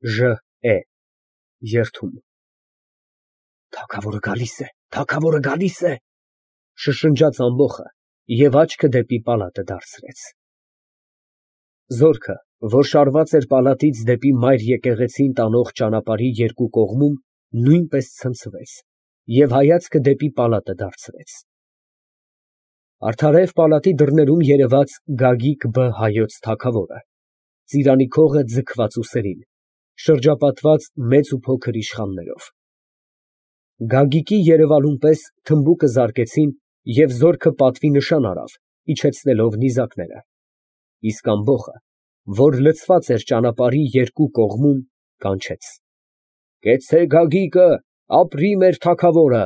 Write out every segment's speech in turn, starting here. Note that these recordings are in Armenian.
Ժ. Երդում)։ Թագավորը գալիս է, շշնջաց ամբոխը և աչքը դեպի պալատը դարձրեց։ Զորքը, որ շարված էր պալատից դեպի մայր եկեղեցին տանող ճանապարհի երկու կողմում, նույնպես ցնցվեց և հայացքը դեպի պալատը դարձրեց։ Արդարև պալատի դռներում երևաց Գագիկ Բ. հայոց թագավորը, ծիրանի քողը ձգված ուսերին, շրջապատված մեծ ու փոքր իշխաններով։ Գագիկի երևալուն պես թմբուկը զարկեցին և զորքը պատվի նշան արավ, իջեցնելով նիզակները, իսկ ամբոխը, որ լցված էր ճանապարհի երկու կողմում, կանչեց. «Կեցցե Գագիկը, ապրի մեր թագավորը»։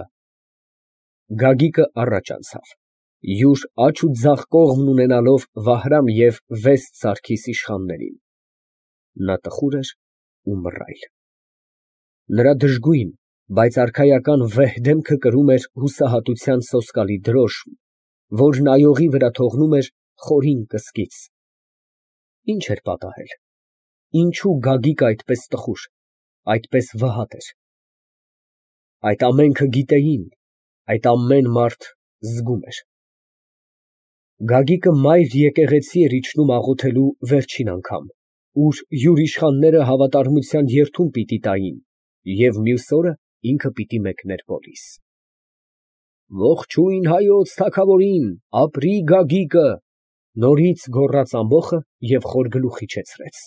Գագիկը առաջ անցավ, յուր աջ ու ձախ կողմն ունենալով Վահրամ և վեց սարքիս իշխաններին։ Նա տխուր էր ու մռայլ։ Նրա դժգույն, բայց արքայական վեհ դեմքը կրում էր հուսահատության սոսկալի դրոշմ, որ նայողի վրա թողնում էր խորին կսկիծ։ Ի՞նչ էր պատահել, ինչո՞ւ Գագիկը այդպես տխուր, այդպես վհատ էր։ Այդ ամենքը գիտեին, այդ ամեն մարդ զգում էր։ Գագիկը մայր եկեղեցի էր իջնում աղոթելու վերջին անգամ, ուր յուր իշխանները հավատարմության երդում պիտի տային, և մյուս օրը ինքը պիտի մեկներ պոլիս։ «Ողջույն հայոց թագավորին, ապրի Գագիկը», նորից գոռաց ամբոխը և խոր գլուխ իջեցրեց։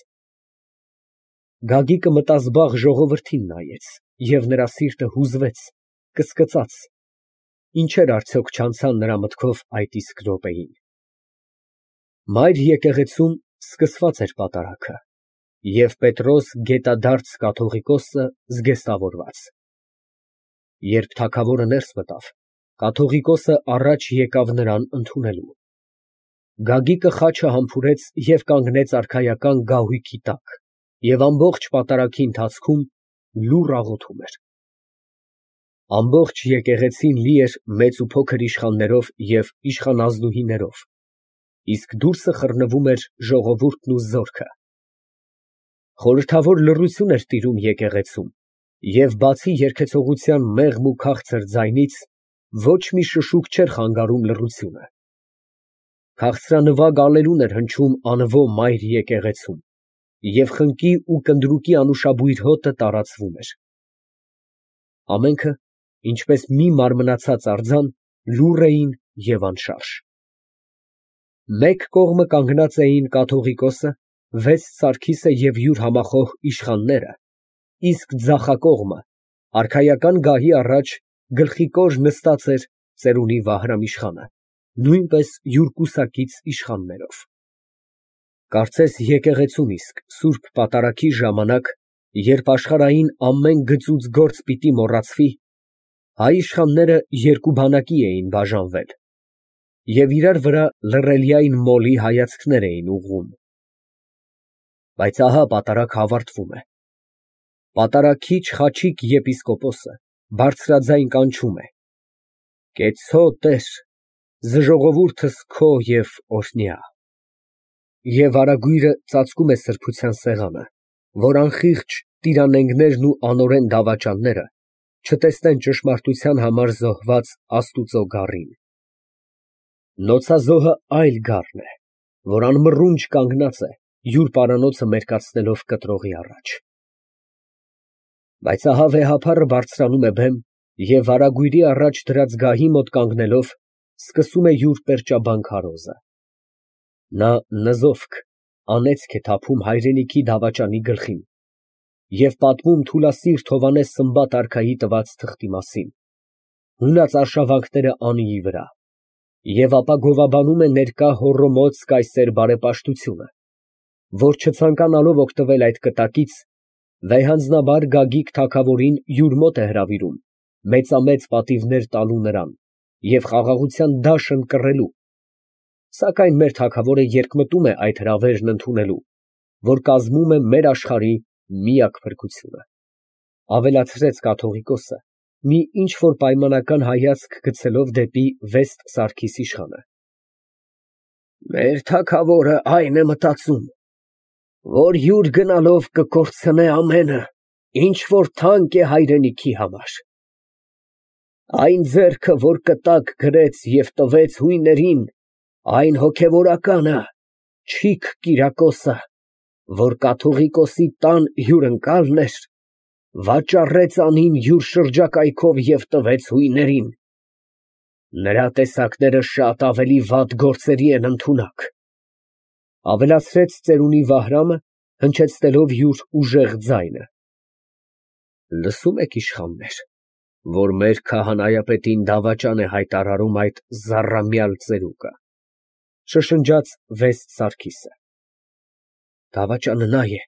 Գագիկը մտազբաղ ժողովրդին նայեց, և նրա սիրտը հուզվեց, կսկծաց. ինչեր արդյոք չանցան նրա մտքով այդ իսկ րոպեին։ Մայր եկեղեցում սկսված էր պատարագը, և Պետրոս գետադարձ կաթողիկոսը զգեստավորված։ Երբ թագավորը ներս մտավ, կաթողիկոսը առաջ եկավ նրան ընդունելու։ Գագիկը խաչը համբուրեց և կանգնեց արքայական գահույքի տակ և ամբողջ պատարագի ընթացքում լուռ աղոթում էր։ Ամբողջ եկեղեցին լի էր մեծ ու փոքր իշխաններով և իշխանազնուհիներով, իսկ դուրսը խռնվում էր ժողովուրդն ու զորքը։ Խորհրդավոր լռություն էր տիրում եկեղեցում, և բացի երգեցողության մեղմ ու քաղցր ձայնից, ոչ մի շշուկ չէր խանգարում լռությունը։ Քաղցրանվագ ալելուն էր հնչում անվո մայր եկեղեցում, և խնկի ու կնդրուկի անուշաբույր հոտը տարածվում էր։ Ամենքը, ինչպես մի մարմնացած արձան, լուռ էին և անշարժ։ Մեկ կողմը կանգնած էին կաթողիկոսը, վեց սարքիսը և յուր համախոհ իշխանները, իսկ ձախակողմը, արքայական գահի առաջ, գլխիկոր նստած էր ծերունի Վահրամ իշխանը, նույնպես յուր կուսակից իշխաններով։ Կարծես եկեղեցում իսկ սուրբ պատարագի ժամանակ, երբ աշխարհային ամեն գծուծ գործ պիտի մոռացվի, հայ իշխանները երկու բանակի էին բաժանվել և իրար վրա լռելյայն մոլի հայացքներ էին ուղղում։ Բայց ահա պատարագը ավարտվում է։ Պատարագիչ Խաչիկ եպիսկոպոսը բարձրաձայն կանչում է. «Կեցցո, Տեր, զժողովուրդս քո և օրհնյա»։ Եվ արագույրը ծածկում է սրբության սեղանը, որ անխիղճ տիրանենգներն ու անօրեն դավաճանները չտեսնեն ճշմարտության համար զոհված Աստուծո գառին։ Նոցազոհը այլ գառն է, որ անմռունչ կանգնած է, յուր պարանոցը մերկացնելով կտրողի առաջ։ Բայց ահա վեհափառը բարձրանում է բեմ և արագույրի առաջ դրած գահի մոտ կանգնելով, սկսում է յուր պերճաբան քարոզը։ Նա նզովք, անեծք է թափում հայրենիքի դավաճանի գլխին և պատմում թուլասիրտ Հովհաննես Սմբատ արքայի տված թղթի մասին, հունած արշավանքները անիի վրա, և ապա գովաբանում է ներկա հոռոմոց կայսեր բարեպաշտությունը, որ չցանկանալով օգտվել այդ կտակից, վեհանձնաբար Գագիկ թագավորին յուր մոտ է հրավիրում, մեծամեծ պատիվներ տալու նրան և խաղաղության դաշն կռելու, սակայն մեր թագավորը երկմտում է այդ հրավերն ընդունելու, որ կազմում է մեր աշխարհի միակ փրկությունը, ավելացրեց կաթողիկոսը, մի ինչ֊որ պայմանական հայացք գցելով դեպի Վեստ Սարգիս իշխանը։ Մեր թագավորը այն է մտածում, որ յուր գնալով կկորցնե ամենը, ինչ որ թանկ է հայրենիքի համար։ Այն ձեռքը, որ կտակ գրեց և տվեց հույներին, այն հոգևորականը, Չիք Կիրակոսը, որ կաթողիկոսի տան հյուրընկալն էր, վաճառեց անին յուր շրջակայքով և տվեց հույներին։ Նրա տեսակները շատ ավելի վատ գործերի են ընդունակ, ավելացրեց ծերունի Վահրամը, հնչեցնելով յուր ուժեղ ձայնը։ Լսո՞ւմ եք, իշխաններ, որ մեր քահանայապետին դավաճան է հայտարարում այդ զառամյալ ծերուկը, շշնջաց Վեստ Սարգիսը։ Դավաճանը նա է,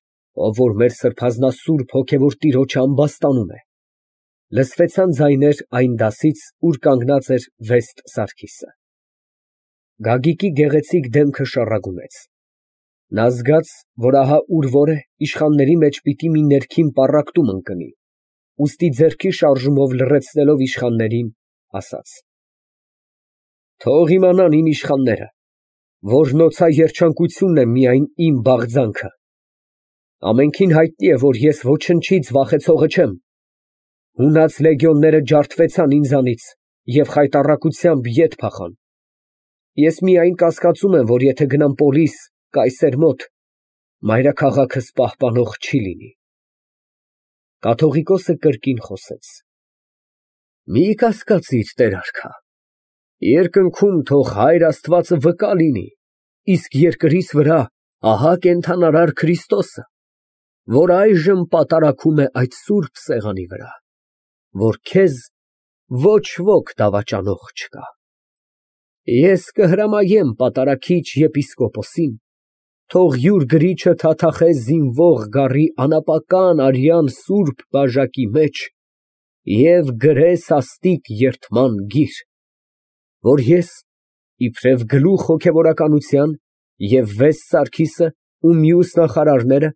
ով որ մեր սրբազնասուրբ հոգևոր տիրոջը ամբաստանում է։ Լսվեցան ձայներ այն դասից, ուր կանգնած էր Վեստ Սարգիսը։ Գագիկի գեղեցիկ դեմքը շառագունեց։ Նա զգաց, որ ահա ուր որ է, իշխանների մեջ պիտի մի ներքին պառակտում ընկնի, ուստի ձեռքի շարժումով լռեցնելով իշխաններին, ասաց. Թող իմանան իմ իշխանները, որ նոցաերջանկությունն է միայն իմ բաղձանքը։ Ամենքին հայտնի է, որ ես ոչնչից վախեցողը չեմ։ Հունած լեգիոնները ջարդվեցան ինձանից և խայտառակությամբ ետ փախան։ Ես միայն կասկածում եմ, որ եթե գնամ Պոլիս, Կայսեր մոտ, մայրաքաղաքս պահպանող չի լինի։ Կաթողիկոսը կրկին խոսեց. Մի կասկածիր, տեր արքա, երկնքում թող Հայր Աստվածը վկա լինի, իսկ երկրիս վրա ահա կենդանարար Քրիստոսը, որ այժմ պատարագում է այդ սուրբ սեղանի վրա, որ քեզ ոչ ոք դավաճանող չկա։ Ես կհրամայեմ պատարագիչ եպիսկոպոսին, թող յուր գրիչը թաթախե զինվող գառի անապական արյան սուրբ բաժակի մեջ և գրե սաստիկ երդման գիր, որ ես, իբրև գլուխ հոգևորականության, և Վեստ Սարգիսը ու մյուս նախարարները,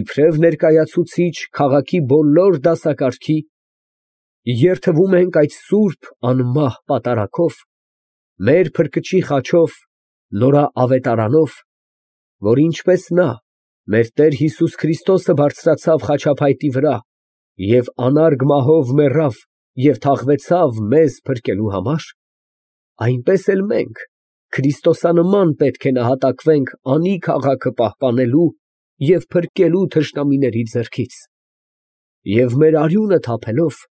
իբրև ներկայացուցիչ քաղաքի բոլոր դասակարգի, երդվում ենք այդ սուրբ անմահ պատարագով, մեր Փրկչի խաչով, նորաավետարանով, որ ինչպես նա, մեր Տեր Հիսուս Քրիստոսը բարձրացավ խաչափայտի վրա և անարգ մահով մեռավ և թաղվեցավ մեզ փրկելու համար, այնպես էլ մենք քրիստոսանման պետք է նահատակվենք անի քաղաքը պահպանելու և փրկելու թշնամիների ձեռքից և մեր արյունը թափելով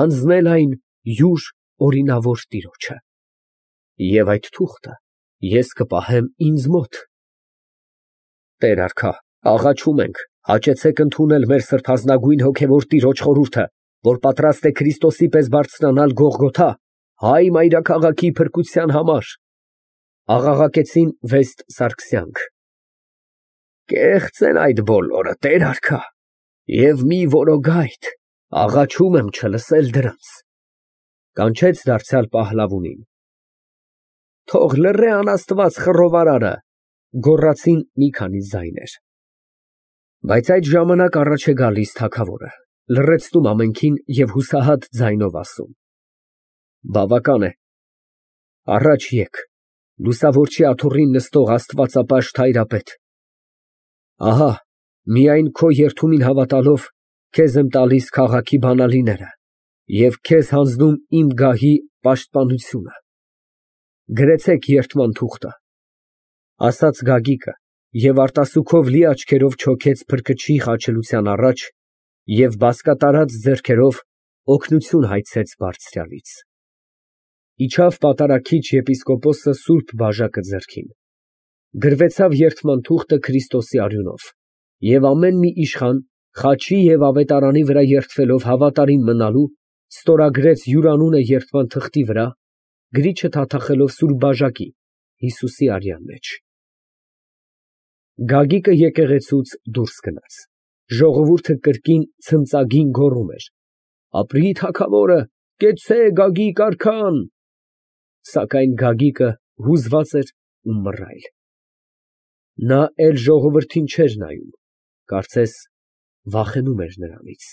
հանձնել այն յուր օրինավոր տիրոջը, և այդ թուղթը ես կպահեմ ինձ մոտ։ Տեր արքա, աղաչում ենք, հաճեցեք ընդունել մեր սրբազնագույն հոգևոր տիրոջ խորհուրդը, որ պատրաստ է Քրիստոսի պես բարձրանալ Գողգոթա, հայ մայրաքաղաքի փրկության համար։ Աղաղակեցին Վեստ Սարգսյանք։ Կեղծ են այդ բոլորը, տեր արքա, և մի որոգայթ, աղաչում եմ չլսել դրանց, կանչեց դարձյալ Պահլավունին։ Թող լռե անաստված խռովարարը, գոռացին մի քանի ձայներ։ Բայց այդ ժամանակ առաջ է գալիս թագավորը, լռեցնում ամենքին և հուսահատ ձայնով ասում. Բավական է, առաջ եկ, լուսավորչի աթոռին նստող աստվածապաշտ հայրապետ, ահա միայն քո երդումին հավատալով քեզ եմ տալիս քաղաքի բանալիները և քեզ հանձնում իմ գահի պաշտպանությունը։ Գրեցեք երդման թուղթը, ասաց Գագիկը և արտասուքով լի աչքերով չոքեց Փրկչի խաչելության առաջ և բազկատարած ձեռքերով օգնություն հայցեց բարձրյալից։ Իջավ պատարագիչ եպիսկոպոսը սուրբ բաժակը ձեռքին, գրվեցավ երդման թուղթը Քրիստոսի արյունով, և ամեն մի իշխան, խաչի և ավետարանի վրա երդվելով հավատարիմ մնալու, ստորագրեց յուր անունը երդման թղթի վրա, գրիչը թաթախելով սուրբ բաժակի, Հիսուսի արյան մեջ։ Գագիկը եկեղեցուց դուրս գնաց, ժողովուրդը կրկին ցնծագին գոռում էր. Ապրի թագավորը, կեցցե Գագիկ արքան։ Սակայն Գագիկը հուզված էր ու մռայլ։ Նա էլ ժողովրդին չէր նայում, կարծես վախենում էր նրանից։